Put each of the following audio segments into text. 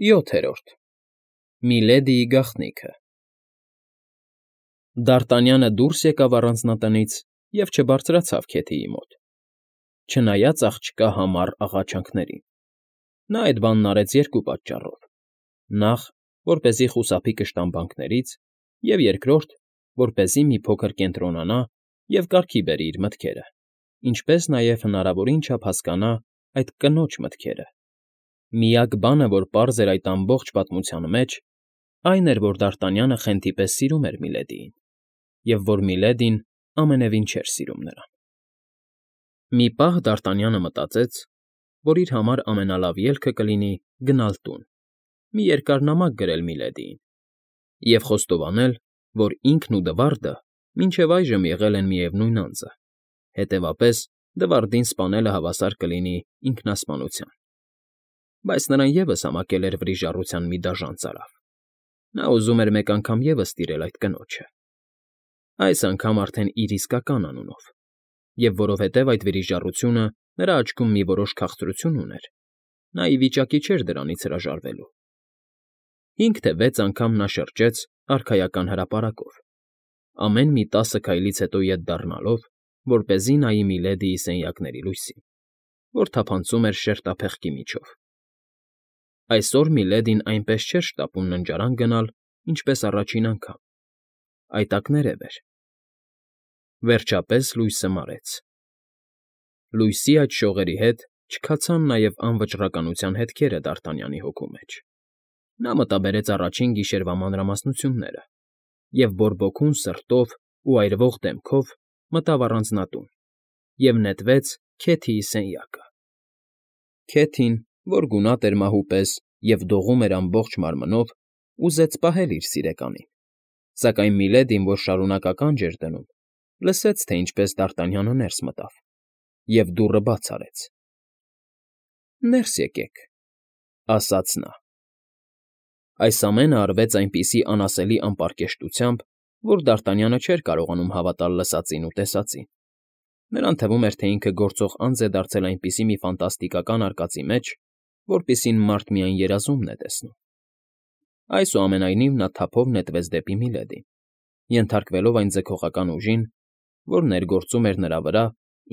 7. Միլեդիի գաղտնիքը Դ'Արտանյանը դուրս եկավ առանձնատնից և չբարձրացավ Քեթիի մոտ, չնայած աղջկա համառ աղաչանքներին. նա այդ բանն արեց երկու պատճառով. նախ, որպեսզի խուսափի կշտամբանքներից, և երկրորդ, որպեսզի մի փոքր կենտրոնանա և կարգի բերի իր մտքերը, ինչպես նաև հնարավորին չափ հասկանա այդ կնոջ մտքերը. միակ բանը, որ պարզ էր այդ ամբողջ պատմության մեջ, այն էր, որ Դ'Արտանյանը խենթի պես սիրում էր Միլեդիին, և որ Միլեդին ամենևին չէր սիրում նրան։ Մի պահ Դ'Արտանյանը մտածեց, որ իր համար ամենալավ ելքը կլինի գնալ տուն, մի երկար նամակ գրել Միլեդիին և խոստովանել, որ ինքն ու Դվարդը մինչև այժմ եղել են միևնույն անձը, հետևապես Դվարդին սպանելը հավասար կլինի ինքնասպանության։ Բայց նրան ևս համակել էր վրիժառության մի դաժան ծարավ. նա ուզում էր մեկ անգամ ևս տիրել այդ կնոջը, այս անգամ արդեն իր իսկական անունով, և որովհետև այդ վրիժառությունը նրա աչքում մի որոշ քաղցրություն ուներ, նա ի վիճակի չէր դրանից հրաժարվելու։ 5 թե 6 անգամ նա շրջեց արքայական հրապարակով, ամեն մի 10 քայլից հետո ետ դառնալով, որպեսզի նայի Միլեդիի սենյակների լույսին, որ թափանցում էր շերտափեղկի միջով։ Այսօր Միլեդին այնպես չէր շտապում ննջարան գնալ, ինչպես առաջին անգամ, այտակներև էր։ Վերջապես լույսը մարեց։ Լույսի այդ շողերի հետ չքացան նաև անվճռականության հետքերը Դ'Արտանյանի հոգու մեջ։ Նա մտաբերեց առաջին գիշերվա մանրամասնությունները և բորբոքուն սրտով ու այրվող դեմքով մտավ առանձնատուն և նետվեց Քեթիի սենյակը։ Քեթին, որ գունատ էր մահու պես և դողում էր ամբողջ մարմնով, ուզեց պահել իր սիրեկանին, սակայն Միլեդին, որ շարունակ ականջ էր դնում, լսեց, թե ինչպես Դ'Արտանյանը ներս մտավ և դուռը բաց արեց։ ֊ Ներս եկեք, ֊ ասաց նա։ Այս ամենը արվեց այնպիսի անասելի անպարկեշտությամբ, որ Դ'Արտանյանը չէր կարողանում հավատալ լսածին ու տեսածին. նրան թվում էր, թե ինքը գործող անձ է դարձել այնպիսի մի ֆանտաստիկական արկածի մեջ, որպիսին մարդ միայն երազումն է տեսնում։ Այսուամենայնիվ նա թափով նետվեց դեպի Միլեդին, ենթարկվելով այն ձգողական ուժին, որ ներգործում էր նրա վրա,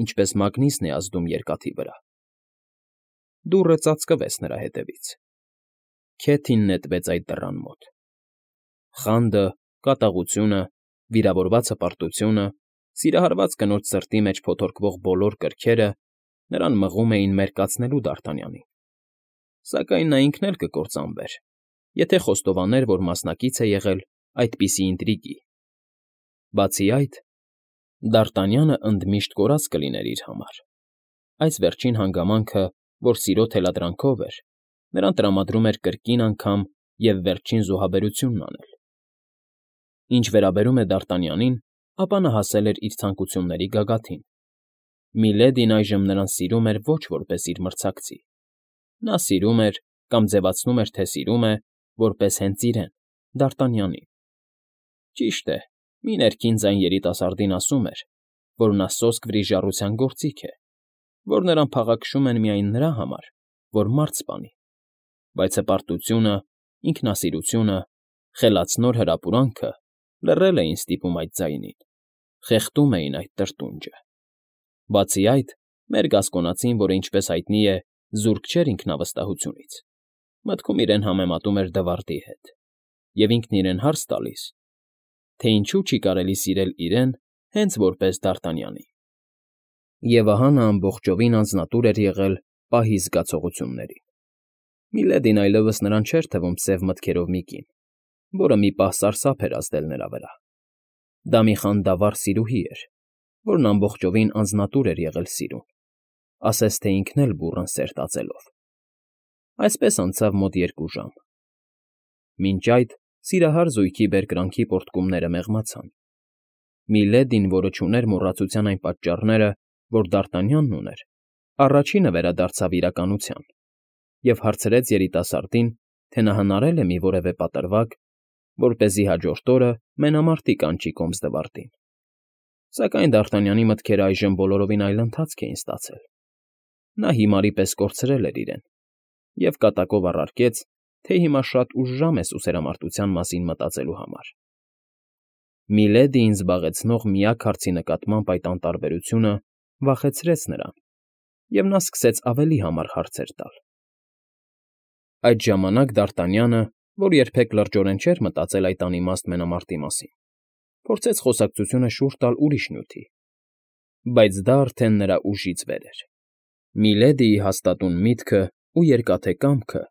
ինչպես մագնիսն է ազդում երկաթի վրա։ Դուռը ծածկվեց նրա հետևից։ Քեթին նետվեց այդ դռան մոտ։ Խանդը, կատաղությունը, վիրավորված հպարտությունը, սիրահարված կնոջ սրտի մեջ փոթորկվող բոլոր կրքերը նրան մղում էին մերկացնելու Դ'Արտանյանին, սակայն նա ինքն էլ կկործանվեր, եթե խոստովաներ, որ մասնակից է եղել այդպիսի ինտրիգի։ Բացի այդ, Դ'Արտանյանը ընդմիշտ կորած կլիներ իր համար։ Այս վերջին հանգամանքը, որ սիրո թելադրանքով էր, նրան տրամադրում էր կրկին անգամ և վերջին զոհաբերությունն անել։ Ինչ վերաբերում է Դ'Արտանյանին, ապա նա հասել էր իր ցանկությունների գագաթին։ Միլեդին այժմ նրան սիրում էր ոչ որպես իր մրցակցի։ Նա սիրում էր կամ ձևացնում էր, թե սիրում է, որպես հենց իրեն՝ Դ'Արտանյանին։ Ճիշտ է, մի ներքին ձայն երիտասարդին ասում էր, որ նա սոսկ վրիժառության գործիք է, որ նրան փաղաքշում են միայն նրա համար, որ մարդ սպանի, բայց հպարտությունը, ինքնասիրությունը, խելացնոր հրապուրանքը լռել էին ստիպում այդ ձայնին, խեղդում էին այդ տրտունջը։ Բացի այդ, մեր գասկոնացին, որը, ինչպես հայտնի է, զուրկ չէր ինքնավստահությունից, մտքում իրեն համեմատում էր Դվարդի հետ և ինքն իրեն հարց տալիս, թե ինչու չի կարելի սիրել իրեն հենց որպես Դ'Արտանյանի։ Եվ ահա նա ամբողջովին անձնատուր էր եղել պահի զգացողություններին։ Միլեդին այլևս նրան չէր թվում սև մտքերով մի կին, որը մի պահ սարսափ էր ազդել նրա վրա։ Դա մի խանդավառ սիրուհի էր, որն ամբողջովին անձնատուր էր եղել սիրուն, ասես թե ինքն էլ բուռն սեր տածելով։ Այսպես անցավ մոտ 2 ժամ։ Մինչ այդ սիրահար զույգի բերկրանքի պոռթկումները մեղմացան։ Միլեդին, որը չուներ մոռացության այն պատճառները, որ Դ'Արտանյանն ուներ, առաջինը վերադարձավ իրականության և հարցրեց երիտասարդին, թե նա հնարել է մի որևէ պատրվակ, որպեսզի հաջորդ օրը մենամարտի կանչի կոմս Դվարդին։ Սակայն Դ'Արտանյանի մտքերը այժմ բոլորովին այլ ընթացք էին ստացել։ Նա հիմարի պես կորցրել էր իրեն և կատակով առարկեց, թե հիմա շատ ուշ ժամ է սուսերամարտության մասին մտածելու համար։ Միլեդիին զբաղեցնող միակ հարցի նկատմամբ այդ անտարբերությունը վախեցրեց նրան, և նա սկսեց ավելի համառ հարցեր տալ։ Այդ ժամանակ Դ'Արտանյանը, որ երբեք լրջորեն չէր մտածել այդ անիմաստ մենամարտի մասին, փորձեց խոսակցությունը շուռ տալ ուրիշ նյութի, բայց դա արդեն նրա ուժից վեր էր։ Միլեդիի հաստատուն միտքը ու երկաթե կամքը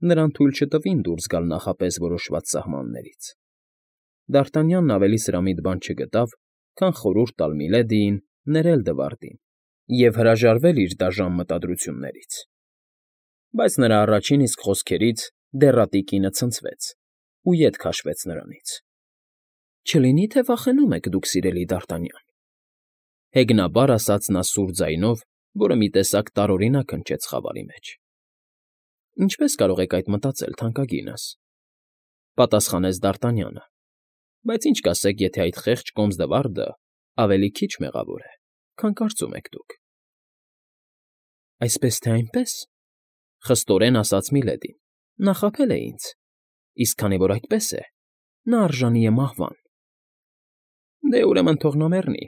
նրան թույլ չտվին դուրս գալ նախապես որոշված սահմաններից։ Դ'Արտանյանն ավելի սրամիտ բան չգտավ, քան խորհուրդ տալ Միլեդիին ներել Դվարդին և հրաժարվել իր դաժան մտադրություններից։ Բայց նրա առաջին իսկ խոսքերից դեռատի կինը ցնցվեց ու ետ քաշվեց նրանից։ «Չլինի՞ թե վախենում եք դուք, սիրելի Դ'Արտանյան,֊ հեգնաբար ասաց նա սուր ձայնով, որը մի տեսակ տարօրինակ հնչեց խավարի մեջ։ «Ինչպե՞ս կարող եք այդ մտածել, թանկագինս,֊ պատասխանեց Դ'Արտանյանը,֊ բայց ինչ կասեք, եթե այդ խեղճ կոմս Դվարդը ավելի քիչ մեղավոր է, քան կարծում եք դուք»։ «Այսպես թե այնպես,֊ խստորեն ասաց Միլեդին,֊ նա խաբել է ինձ, իսկ քանի որ այդպես է, նա արժանի է մահվան»։ «Դե, ուրեմն թող նա մեռնի,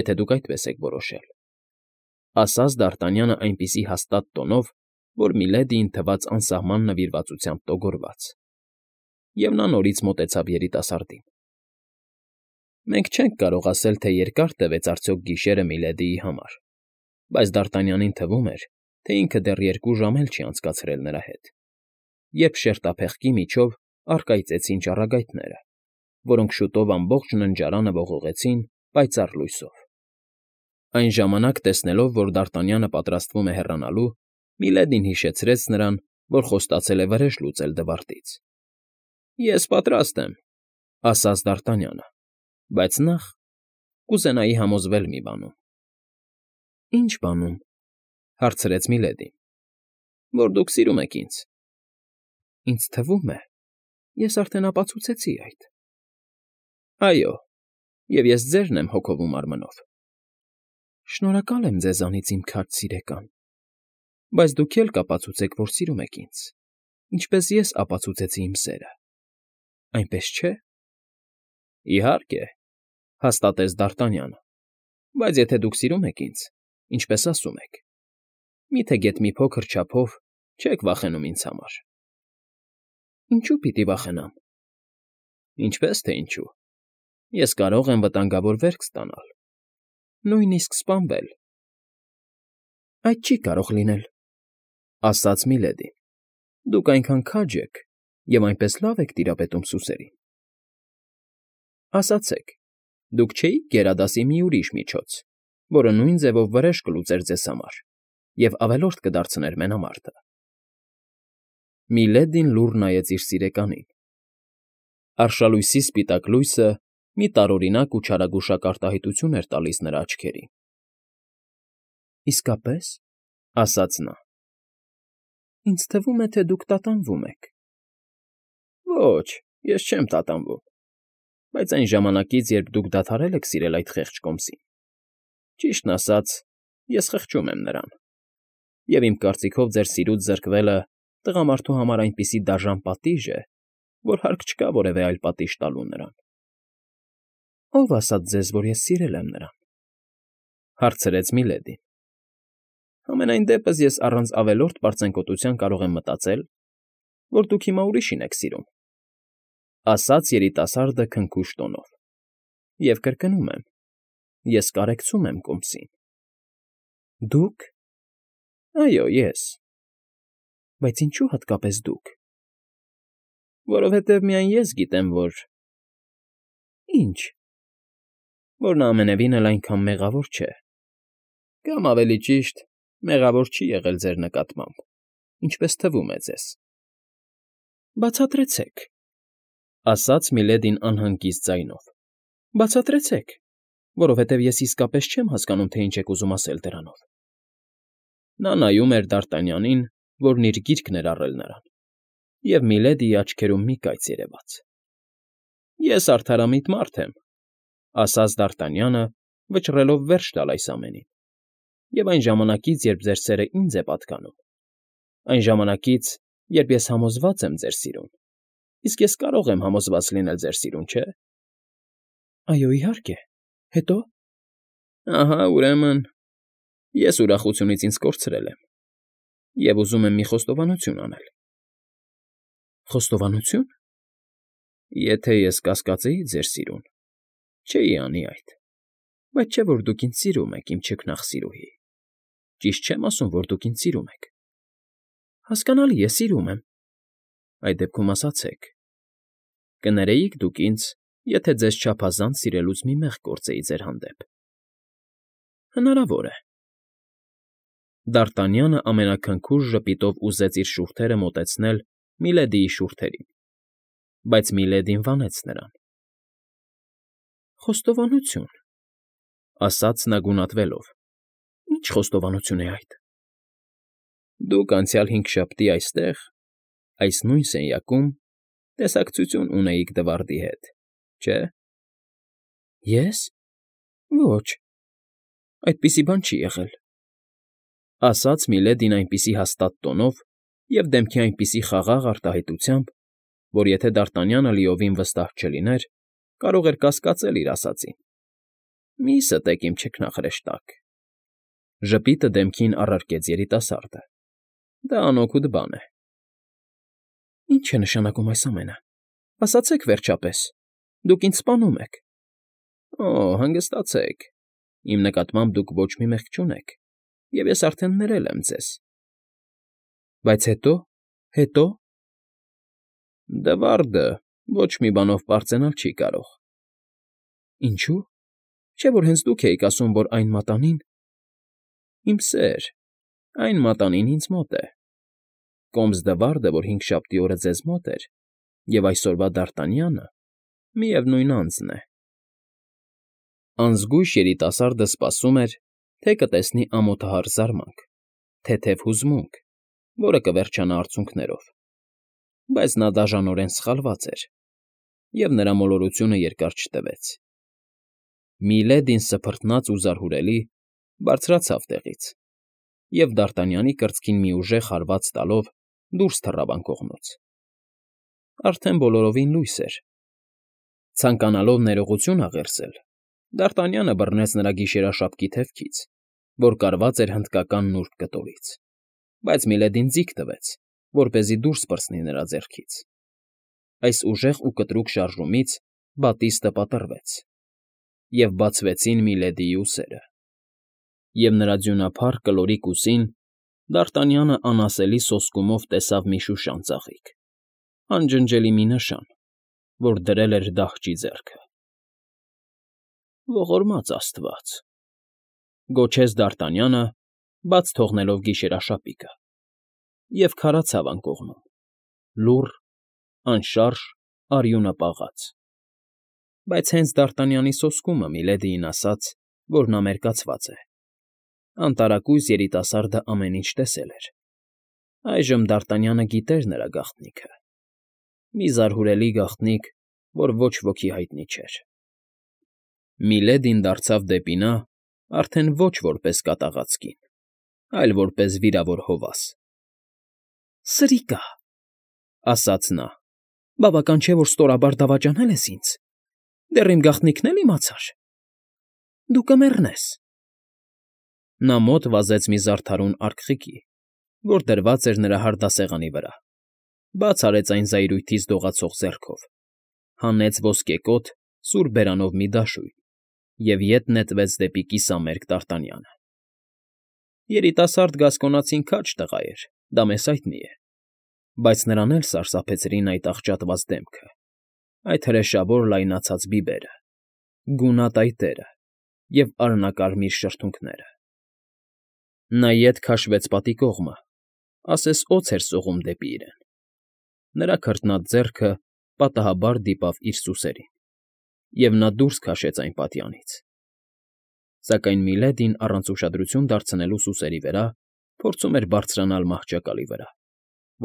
եթե դուք այդպես եք որոշել,֊ ասաց Դ'Արտանյանը այնպիսի հաստատ տոնով, որ Միլեդիին թվաց անսահման նվիրվածությամբ տոգորված, և նա նորից մոտեցավ երիտասարդին։ Մենք չենք կարող ասել, թե երկար տևեց արդյոք գիշերը Միլեդիի համար, բայց Դ'Արտանյանին թվում էր, թե ինքը դեռ 2 ժամ էլ չի անցկացրել նրա հետ, երբ շերտափեղկի միջով առկայծեցին ճառագայթները, որոնք շուտով ամբողջ ննջարանը ողողեցին պայծառ լույսով։ Այն ժամանակ, տեսնելով, որ Դ'Արտանյանը պատրաստվում է հեռանալու, Միլեդին հիշեցրեց նրան, որ խոստացել է վրեժ լուծել Դվարդից։ «Ես պատրաստ եմ,֊ ասաց Դ'Արտանյանը,֊ բայց նախ կուզենայի համոզվել մի բանում»։ «Ի՞նչ բանում,֊ հարցրեց Միլեդին։ «Որ դուք սիրում եք ինձ»։ «Ինձ թվում է, ես արդեն ապացուցեցի այդ»։ «Այո, և ես ձերն եմ հոգով ու մարմնով»։ «Շնորհակալ եմ ձեզանից, իմ քաջ սիրեկան, բայց դուք էլ կապացուցեք, որ սիրում եք ինձ, ինչպես ես ապացուցեցի իմ սերը, այնպես չէ՞։ «Իհարկե,֊ հաստատեց Դ'Արտանյանը,֊ բայց եթե դուք սիրում եք ինձ, ինչպես ասում եք, մի՞թե գեթ մի փոքր չափով չեք վախենում ինձ համար»։ «Ինչո՞ւ պիտի վախենամ»։ «Ինչպես թե ինչու։ Ես կարող եմ վտանգավոր վերք ստանալ, նույնիսկ սպանվել»։ «Այդ չի կարող լինել,֊ ասաց Միլեդին,֊ դուք այնքան քաջ եք և այնպես լավ եք տիրապետում սուսերին»։ «Ասացեք, դուք չէի՞ք գերադասի մի ուրիշ միջոց, որը նույն ձևով վրեժ կլուծեր ձեզ համար և ավելորդ կդարձներ մենամարտը»։ Միլեդին լուռ նայեց իր սիրեկանին։ Արշալույսի սպիտակ լույսը մի տարօրինակ ու չարագուշակ արտահայտություն էր տալիս նրա աչքերին։ «Իսկապես,֊ ասաց նա,֊ ինձ թվում է, թե դուք տատանվում եք»։ «Ոչ, ես չեմ տատանվում, բայց այն ժամանակից, երբ դուք դադարել եք սիրել այդ խեղճ կոմսին, ճիշտն ասած, ես խղճում եմ նրան, և իմ կարծիքով ձեր սիրուց զրկվելը տղամարդու համար այնպիսի դաժան պատիժ է, որ հարկ չկա որևէ այլ պատիժ տալու նրան»։ «Ո՞վ ասաց ձեզ, որ ես սիրել եմ նրան,֊ հարցրեց Միլեդին։ «Համենայն դեպս ես առանց ավելորդ պարծենկոտության կարող եմ մտածել, որ դուք հիմա ուրիշին եք սիրում,֊ ասաց երիտասարդը քնքուշ տոնով,֊ և կրկնում եմ, ես կարեկցում եմ կոմսին»։ «Դուք»։ «Այո, ես»։ «Բայց ինչո՞ւ հատկապես դուք»։ «Որովհետև միայն ես գիտեմ, որ…»։ «Ինչ»։ «Որ նա ամենևին էլ այնքան մեղավոր չէ, կամ, ավելի ճիշտ, մեղավոր չի եղել ձեր նկատմամբ, ինչպես թվում է ձեզ»։ «Բացատրեցեք,֊ ասաց Միլեդին անհանգիստ ձայնով,֊ բացատրեցեք, որովհետև ես իսկապես չեմ հասկանում, թե ինչ եք ուզում ասել դրանով»։ Նա նայում էր Դ'Արտանյանին, որն իր գիրկն էր առել նրան, և Միլեդիի աչքերում մի կայծ երևաց։ «Ես արդարամիտ մարդ եմ,֊ ասաց Դ'Արտանյանը, վճռելով վերջ տալ այս ամենին,֊ և այն ժամանակից, երբ ձեր սերը ինձ է պատկանում, այն ժամանակից երբ ես համոզված եմ ձեր սիրուն, իսկ ես կարող եմ համոզված լինել ձեր սիրուն, չէ՞։ Այո, իհարկե, հետո։ Ահա, ուրեմն, ես ուրախությունից ինձ կորցրել եմ և ուզում եմ մի խոստովանություն անել։ Խոստովանություն։ Եթե ես կասկածեի ձեր սիրուն, չէի անի այդ, բայց չէ՞ որ դուք ինձ սիրում եք, իմ չքնաղ սիրուհի, ճիշտ չեմ ասում, որ դուք ինձ սիրում եք։ Հասկանալի է, սիրում եմ։ Այդ դեպքում ասացեք, կներեիք դուք ինձ, եթե ձեզ չափազանց սիրելուց մի մեղք գործեի ձեր հանդեպ։ Հնարավոր է։ Դ'Արտանյանը ամենաքնքուշ ժպիտով ուզեց իր շուրթերը մոտեցնել Միլեդիի շուրթերին, բայց Միլեդին վանեց նրան։ Խոստովանություն, ասաց նա գունատվելով։ Ինչ խոստովանություն է այդ։ Դուք անցյալ հինգշաբթի այստեղ, այս նույն սենյակում, տեսակցություն ունեիք Դվարդի հետ, չէ՞։ Ես։ Ոչ, այդպիսի բան չի եղել, ասաց Միլեդին այնպիսի հաստատ տոնով և դեմքի այնպիսի խաղաղ արտահայտությամբ, որ եթե Դ'Արտանյանը լիովին վստահ չլիներ, կարող էր կասկածել իր ասածին։ Մի ստեք իմ չքնաղ հրեշտակ։ Ժպիտը դեմքին առարկեց երիտասարդը։ Դա անօգուտ բան է։ Ինչ է նշանակում այս ամենը։ Ասացեք վերջապես, դուք ինձ սպանում եք։ Օ, հանգստացեք, իմ նկատմամբ դուք ոչ մի մեղք չունեք, և ես արդեն ներել եմ ձեզ։ Բայց հետո։ Դվարդը ոչ մի բանով պարծենալ չի կարող։ Ինչո՞ւ։ Չէ՞ որ հենց դուք էիք ասում, որ այն մատանին… Իմ սեր, այն մատանին ինձ մոտ է։ Կոմս Դվարդը, որ հինգշաբթի օրը ձեզ մոտ էր, և այսօրվա Դ'Արտանյանը միևնույն անձն է։ Անզգույշ երիտասարդը սպասում էր, թե կտեսնի ամոթահար զարմանք, թեթև հուզմունք, որը կվերջանա արցունքներով, բայց նա դաժանորեն սխալված էր, և նրա մոլորությունը երկար չտևեց։ Միլեդին սփռտնաց ու զարհուրելի բարձրացավ տեղից և Դ'Արտանյանի կրծքին մի ուժեղ հարված տալով դուրս թռավ անկողնուց։ Արդեն բոլորովին լույս էր։ Ցանկանալով ներողություն աղերսել, Դ'Արտանյանը բռնեց նրա գիշերաշապկի թևքից, որ կարված էր հնդկական նուրբ կտորից, բայց Միլեդին ձիգ տվեց, որպեսզի դուրս պրծնի նրա ձեռքից։ Այս ուժեղ ու կտրուկ շարժումից բատիստը պատռվեց, և բացվեցին Միլեդիի ուսերը, և նրա ձյունափառ կլորիկ ուսին Դ'Արտանյանը անասելի սոսկումով տեսավ մի շուշան ծաղիկ, անջնջելի մի նշան, որ դրել էր դահճի ձեռքը։ Ողորմած աստված…֊ գոչեց Դ'Արտանյանը, բաց թողնելով գիշերաշապիկը, և քարացավ անկողնում, լուռ, անշարժ, արյունը պաղած։ Բայց հենց Դ'Արտանյանի սոսկումը Միլեդիին ասաց, որ նա մերկացված է։ Անտարակույս երիտասարդը ամեն ինչ տեսել էր։ Այժմ Դ'Արտանյանը գիտեր նրա գաղտնիքը։ Մի զարհուրելի գաղտնիք, որ ոչ ոքի հայտնի չէր։ Միլեդին դարձավ դեպի նա արդեն ոչ որպես կատաղած կին, այլ որպես վիրավոր հովաս։ Սրիկա՜…֊ ասաց նա, բավական չէ, որ ստորաբար դավաճանել ես ինձ, դեռ իմ գաղտնիքն էլ իմացար… Դու կմեռնես… Նա մոտ վազեց մի զարդարուն արկղիկի, որ դրված էր նրա հարդասեղանի վրա, բաց արեց այն զայրույթից դողացող ձեռքով, հանեց ոսկեկոթ սուր բերանով մի դաշույն և ետ նետվեց դեպի կիսամերկ Դ'Արտանյանը։ Երիտասարդ գասկոնացին քաջ տղա էր, դա մեզ հայտնի է, բայց նրան էլ սարսափեցրին այդ աղճատված դեմքը, այդ հրեշավոր լայնացած բիբերը, գունատ այտերը և արհնակարմիր շրթունքները։ Նա ետ քաշվեց պատի կողմը, ասես օձ էր սողում դեպի իրեն։ Նրա քրտնած ձեռքը պատահաբար դիպավ իր սուսերին, և նա դուրս քաշեց այն պատյանից։ Սակայն Միլեդին առանց ուշադրություն դարձնելու սուսերի վրա փորձում էր բարձրանալ մահճակալի վրա,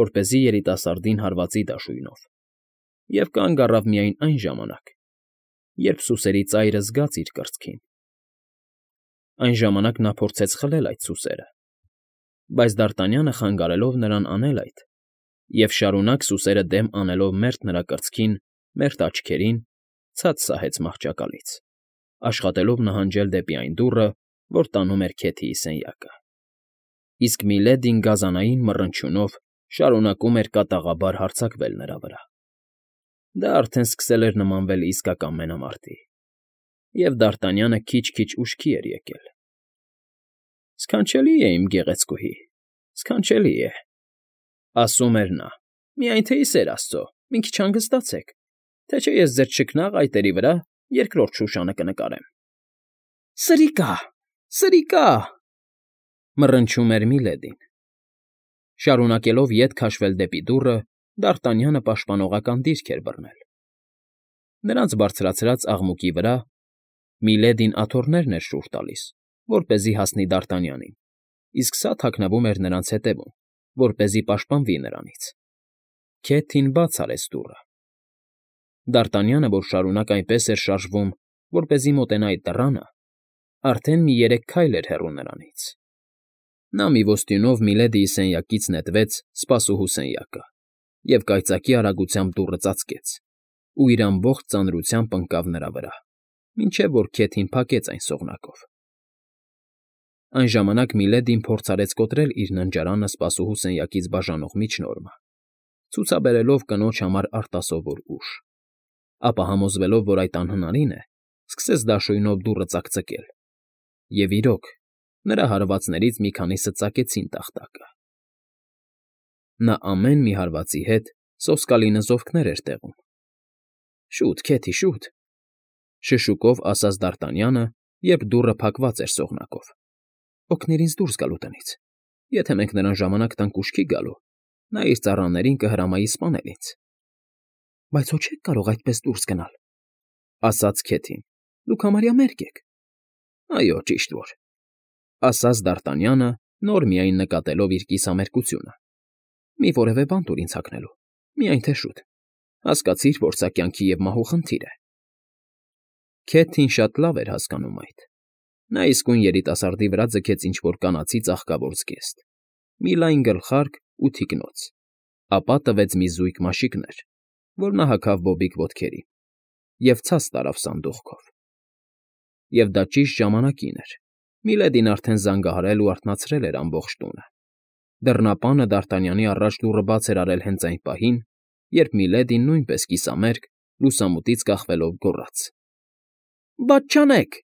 որպեսզի երիտասարդին հարվածի դաշույնով, և կանգ առավ միայն այն ժամանակ, երբ սուսերի ծայրը զգաց իր կրծքին։ Այն ժամանակ նա փորձեց խլել այդ սուսերը, բայց Դ'Արտանյանը խանգարելով նրան անել այդ, Եվ շարունակ սուսերը դեմ անելով մերթ նրա կրծքին, մերթ աչքերին, ցած սահեց մահճակալից, աշխատելով նահանջել դեպի այն դուռը, որ տանում էր Քեթիի սենյակը։ Իսկ Միլեդին գազանային մռնչյունով շարունակում էր կատաղաբար հարձակվել նրա վրա։ Դա արդեն սկսել էր նմանվել իսկական մենամարտի, և Դարտանյանը քիչ֊քիչ ուշքի էր եկել։ «Սքանչելի է, իմ գեղեցկուհի, սքանչելի է,֊ ասում էր նա,֊ միայն թե ի սեր աստծո, մի քիչ հանգստացեք, թե չէ ես ձեր չքնաղ այտերի վրա երկրորդ շուշանը կնկարեմ»։ «Սրիկա՜, սրիկա՜…» մռնչում էր Միլեդին։ Շարունակելով ետ քաշվել դեպի դուռը, Դարտանյանը պաշտպանողական դիրք էր բռնել։ Նրանց բարձրացրած աղմուկի վրա Միլեդին աթոռներն էր շուռ տալիս, որպեսզի հասնի Դարտանյանին, իսկ սա թաքնվում էր նրանց ետևում, որպեսզի պաշտպանվի նրանից։ Քեթին բաց արեց դուռը։ Դարտանյանը, որ շարունակ այնպես էր շարժվում, որպեսզի մոտենա այդ դռանը, արդեն մի 3 քայլ էր հեռու նրանից։ Նա մի ոստյունով Միլեդիի սենյակից նետվեց սպասուհու սենյակը և կայծակի արագությամբ դուռը ծածկեց, ու իր ամբողջ ծանրությամբ ընկավ նրա վրա, մինչև որ Քեթին փակեց այն սողնակով։ Այն ժամանակ Միլեդին փորձ արեց կոտրել իր ննջարանը սպասուհու սենյակից բաժանող միջնորմը, ցուցաբերելով կնոջ համար արտասովոր ուժ, ապա համոզվելով, որ այդ անհնարին է, սկսեց դաշույնով դուռը ծակծկել, և իրոք, նրա հարվածներից մի քանիսը ծակեցին տախտակը։ Նա ամեն մի հարվածի հետ սոսկալի նզովքներ էր տեղում։ «Շուտ, Քեթի, շուտ,֊ շշուկով ասաց Դարտանյանը, երբ դուռը փակված էր սողնակով,֊ օգնիր ինձ դուրս գալու տնից, եթե մենք նրան ժամանակ տանք ուշքի գալու, նա իր ծառաներին կհրամայի սպանել ինձ»։ «Բայց հո չեք կարող այդպես դուրս գնալ,֊ ասաց Քեթին,֊ դուք համարյա մերկ եք»։ «Այո, ճիշտ որ,֊ ասաց Դարտանյանը, նոր միայն նկատելով իր կիսամերկությունը,֊ մի որևէ բան տուր ինձ հագնելու, միայն թե շուտ, հասկացիր, որ սա կյանքի և մահու խնդիր է»։ Քեթին շատ լավ էր հասկանում այդ։ Նա իսկույն երիտասարդի վրա ձգեց ինչ֊որ կանացի ծաղկավոր զգեստ, մի լայն գլխարկ ու թիկնոց, ապա տվեց մի զույգ մաշիկներ, որ նա հագավ բոբիկ ոտքերին, և ցած տարավ սանդուղքով։ Եվ դա ճիշտ ժամանակին էր. Միլեդին արդեն զանգահարել ու արթնացրել էր ամբողջ տունը։ Դռնապանը Դարտանյանի առաջ դուռը բաց էր արել հենց այն պահին, երբ Միլեդին նույնպես կիսամերկ, լուսամուտից կախվելով գոռաց. «Բաց չանեք»։